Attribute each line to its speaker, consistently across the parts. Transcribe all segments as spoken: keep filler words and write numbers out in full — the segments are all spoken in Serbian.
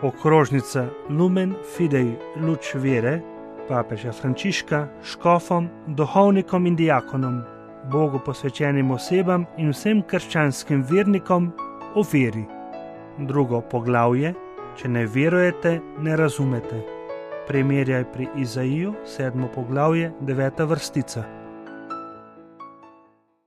Speaker 1: Okrožnica Lumen Fidei luč vere papeža Frančiška škofom, duhovnikom in diakonom, Bogu posvečenim osebam in vsem krščanskim vernikom o veri. Drugo poglavje: če ne verujete, ne razumete. Primerjaj pri Izaiju, sedmo poglavje, deveta vrstica.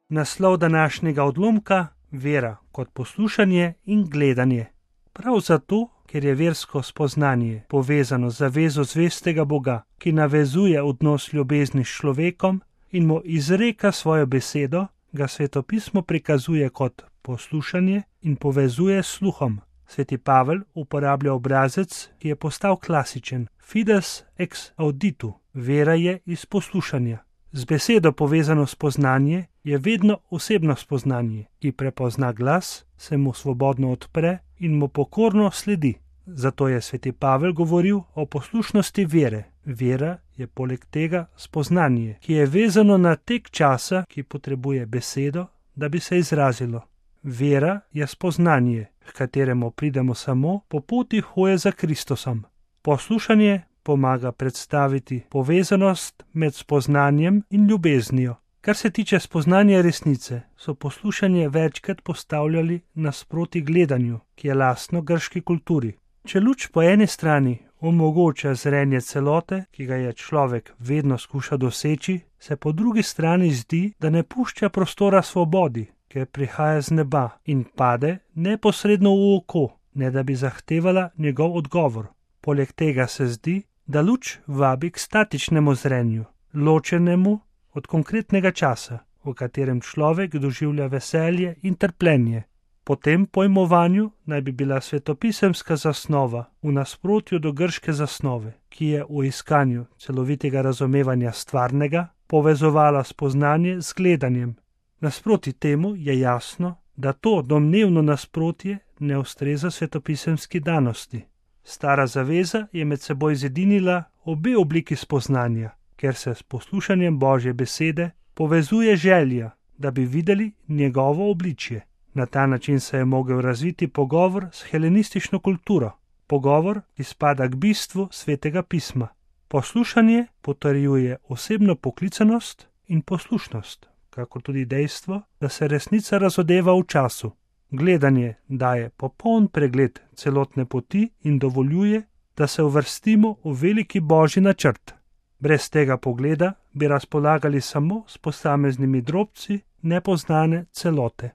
Speaker 1: Naslov današnjega odlomka: vera kot poslušanje in gledanje. Prav zato, ker je versko spoznanje povezano z zavezo zvestega Boga, ki navezuje odnos ljubezni s človekom in mu izreka svojo besedo, ga Svetopismo prikazuje kot poslušanje in povezuje s sluhom. Sveti Pavel uporablja obrazec, ki je postal klasičen: fides ex auditu, vera je iz poslušanja. Z besedo povezano spoznanje je vedno osebno spoznanje, ki prepozna glas, se mu svobodno odpre in mu pokorno sledi. Zato je sveti Pavel govoril o poslušnosti vere. Vera je poleg tega spoznanje, ki je vezano na tek časa, ki potrebuje besedo, da bi se izrazilo. Vera je spoznanje, h kateremu pridemo samo po poti hoje za Kristusom. Poslušanje pomaga predstaviti povezanost med spoznanjem in ljubeznijo. Kar se tiče spoznanja resnice, so poslušanje večkrat postavljali nasproti gledanju, ki je lastno grški kulturi. Če luč po eni strani omogoča zrenje celote, ki ga je človek vedno skuša doseči, se po drugi strani zdi, da ne pušča prostora svobodi, ker prihaja z neba in pade neposredno v oko, ne da bi zahtevala njegov odgovor. Poleg tega se zdi, da luč vabi k statičnemu zrenju, ločenemu od konkretnega časa, v katerem človek doživlja veselje in trpljenje. Po tem pojmovanju naj bi bila svetopisemska zasnova v nasprotju do grške zasnove, ki je v iskanju celovitega razumevanja stvarnega povezovala spoznanje z gledanjem. Nasproti temu je jasno, da to domnevno nasprotje ne ustreza svetopisemski danosti. Stara zaveza je med seboj zedinila obe obliki spoznanja, ker se s poslušanjem Božje besede povezuje želja, da bi videli njegovo obličje. Na ta način se je mogel razviti pogovor s helenistično kulturo, pogovor, ki spada k bistvu svetega pisma. Poslušanje potrjuje osebno poklicanost in poslušnost, kakor tudi dejstvo, da se resnica razodeva v času. Gledanje daje popoln pregled celotne poti in dovoljuje, da se uvrstimo v veliki Božji načrt. Brez tega pogleda bi razpolagali samo s posameznimi drobci nepoznane celote.